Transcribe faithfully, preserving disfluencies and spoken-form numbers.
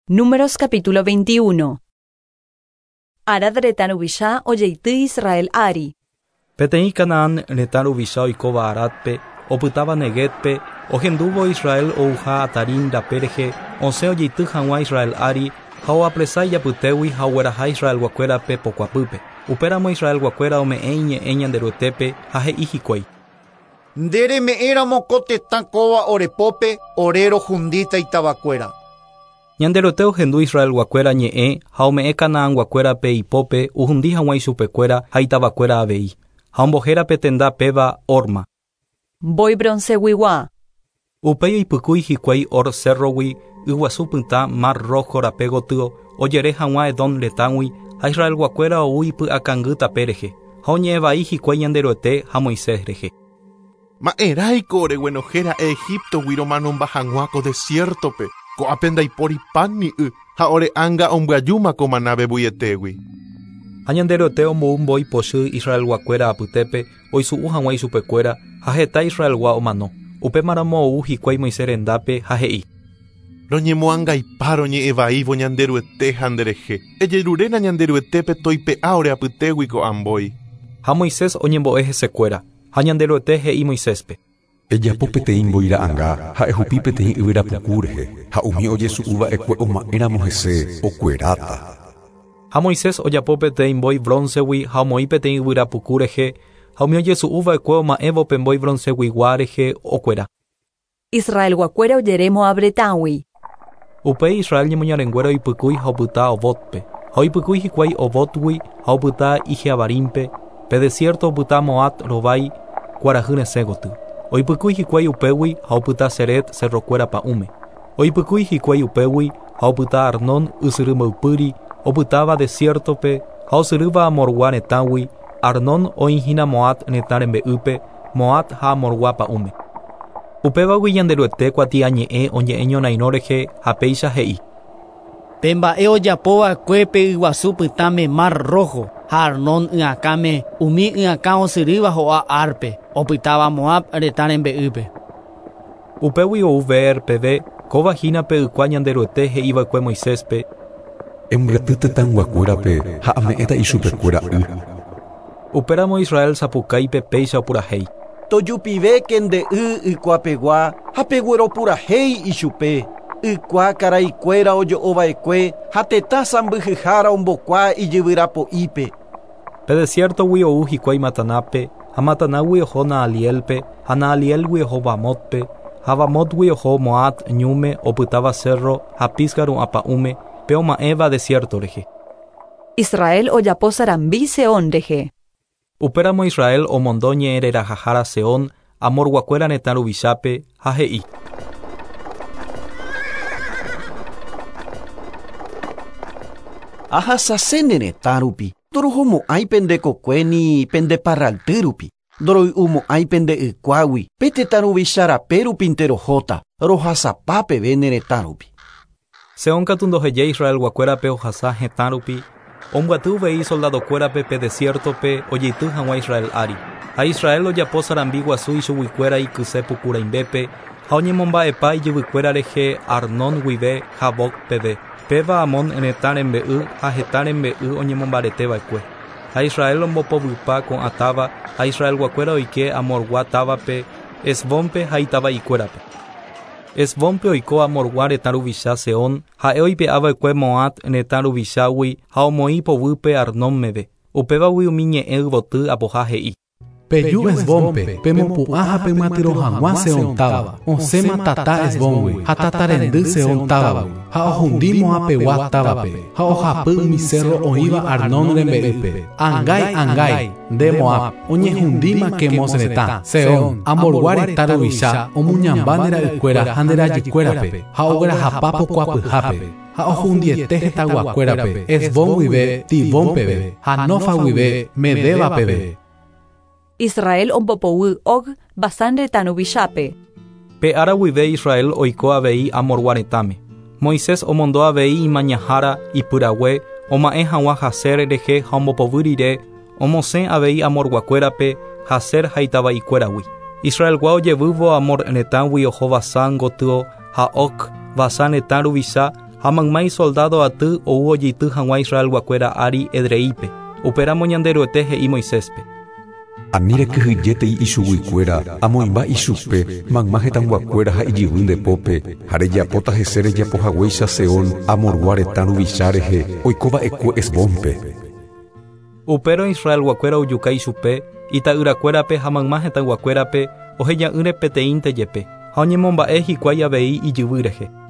Números capítulo veintiuno. Arad retã ruvicha ojeity Israel ári. Peteĩ Canaán retã ruvicha oikóva Aradpe, opytáva Neguebpe, ohendúvo Israel ouha Atarim rape rehe, osẽ ojeity hag̃ua Israel ári ha oapresa ijapytégui ha ogueraha Israelguakuérape pokuapýpe. Upéramo Israelguakuéra ome'ẽ iñe'ẽ Ñanderuetépe ha he'i hikuái. Nde reme'ẽramo ko tetã kóva orepópe ore rohundíta itavakuéra. Ñanderuete ohendu Israelguakuéra ñe'ẽ ha ome'ẽ Canaanguakuérape ipópe ohundi hag̃ua ichupekuéra ha itavakuéra avei. Ha ombohérape tenda péva Horma. Mbói bronceguigua. Upéi oipykúi hikuái Hor cérrogui yguasu pytã Mar Rojo rape gotyo ojere hag̃ua Edom retãgui ha Israelguakuéra ou ipy'akangy tape rehe ha oñe'ẽvai hikuái Ñanderuete ha Moisés rehe. Ma'erãiko oreguenohéra'e Egiptogui romanomba hag̃ua ko desiertope, ko'ápe ndaipóri pan ni y ha ore ánga ombyajúma ko maná vevuietégui. Ha Ñanderuete ombou mbói pochy Israelguakuéra apytépe oisu'u hag̃ua ichupekuéra ha heta Israelgua omano. Upémaramo ou hikuái Moisés rendápe ha he'i. Roñemoangaipa roñe'ẽvaívo Ñanderuete ha nderehe. Ejeruréna Ñanderuetépe toipe'a ore apytégui ko'ã mbói. Ha Moisés oñembo'e hesekuéra ha Ñanderuete he'i Moiséspe. Ejapo peteĩ mbói ra'ãnga ha ehupi peteĩ yvyrapuku rehe ha umi ojesu'uva'ekue oma'ẽramo hese okueráta. Ha Moisés ojapo peteĩ mbói broncegui ha omoĩ peteĩ yvyrapuku rehe ha umi ojesu'uva'ekue oma'ẽvo pe mbói bronceguigua rehe okuera. Israelguakuéra ojere Moab retãgui. Upéi Israel ñemoñarenguéra oipykúi ha opyta Obotpe. Ha oipykúi hikuái Obotgui ha opyta Ijeabarimpe, pe desierto opyta Moab rovái kuarahy resẽ gotyo. Oipykúi hikuái upégui ha opyta Seret cerrokuéra pa'ũme. Oipykúi hikuái upégui ha opyta Arnón ysyry mboypýri opytáva desiertope ha osyrýva Amorgua retãgui, Arnón oĩhína Moab retã rembe'ýpe, Moab ha Amorgua pa'ũme. Upévagui Ñanderuete kuatiañe'ẽ oñe'ẽ ñorairõ rehe ha péicha he'i. Pe mba'e ojapova'ekue pe yguasu pytãme Mar Rojo ha Arnón y'akãme umi y'akã osyrýva ho'a Arpe opytáva Moab retã rembe'ýpe. Upégui ou Beer peve kóva hína pe ykua Ñanderuete he'iva'ekue Moiséspe. Embyaty tetãyguakuérape ha ame'ẽta ichupekuéra y. Upéramo Israel sapukáipe péicha opurahéi. Tojupivéke nde y ykuapegua ha pegueropurahéi ichupe. Ykua karaikuéra ojo'ova'ekue ha tetã sãmbyhyhára ombokua ijyvyrapo'ípe. Pe desiertogui ou hikuái Matanápe ha Matanágui oho Naalielpe ha Naalielgui oho Bamotpe ha Bamotgui oho Moab ñúme opytáva cerro ha Pisga ru'ã pa'ũme pe oma'ẽva desierto rehe. Israel ojapo sarambi Seón rehe. Upéramo Israel omondo ñe'ẽrerahahára Seón Amorguakuéra retã ruvichápe ha he'i. Ahasase ne retã rupi, ndorohomo'ãi pende kokue ni pende parralty rupi, ndoroy'umo'ãi pende ykuágui, pe tetã ruvicha rape rupinte rohóta, rohasapa peve ne retã rupi. Seón katu ndohejái Israelguakuérape ohasa hetã rupi, ombyaty uvei soldadokuérape pe desiertope ojeity hag̃ua Israel ári. Ha Israel ojapo sarambi guasu ichuguikuéra ikyse puku rãimbépe ha oñemomba'epa ijyvykuéra rehe Arnón guive Jaboc peve. Péva Amón retã rembe'y ha heta rembe'y oñemombareteva'ekue. Ha Israel ombopovypa ko'ã táva ha Israelguakuéra oike Amorgua távape, Hesbónpe ha itava'ikuérape. Hesbónpe oiko Amorgua retã ruvicha Seón ha'e oipe'ava'ekue Moab retã ruvichágui ha omoĩ poguýpe Arnón meve. Upévagui umi ñe'ẽ yvoty apoha he'i. Peju Hesbónpe, pemopu'ã ha pemyatyrõ hag̃ua Seón táva, osẽma tata Hesbóngui ha tata rendy Seón távagui, ha ohundi Moabpegua távape, ha ohapy umi cerro oĩva Arnón rembe'ýpe. Angái, angái, nde Moab, oñehundíma Quemos retã, Seón, Amorgua retã ruvicha, omuñamba nde ra'ykuéra ha nde rajykuérape, ha oguerahapa pokuapyhápe, ha ohundiete hetãyguakuérape, Hesbón guive Dibón peve, ha Nofa guive Medeba peve. Israel ombopoguy Og Basán retã ruvichápe. Pe ára guive Israel oiko avei Amorgua retãme. Moisés omondo avei imañahára ipyrague oma'ẽ hag̃ua Jazer rehe ha ombopovy rire omosẽ avei Amorguakuérape Jazer ha itava'ikuéragui. Israelgua ojevývo Amor retãgui oho Basán gotyo ha Og Basán retã ruvicha Ha mayma isoldado aty ou ojeity hag̃ua Israelguakuéra ári Edreípe. Upéramo Ñanderuete he'i Moiséspe. Ani rekyhyjétei ichuguikuéra amoĩmba ichupe mayma hetãyguakuéra ha ijyvy ndepópe ha rejapóta hese rejapohaguéicha Seón Amorgua retã ruvicha rehe oikova'ekue Hesbónpe. Upérõ Israelguakuéra ojuka ichupe ita'yrakuérape ha mayma hetãyguakuérape oheja'ỹre peteĩnte jepe ha oñemomba'e hikuái avei ijyvy rehe.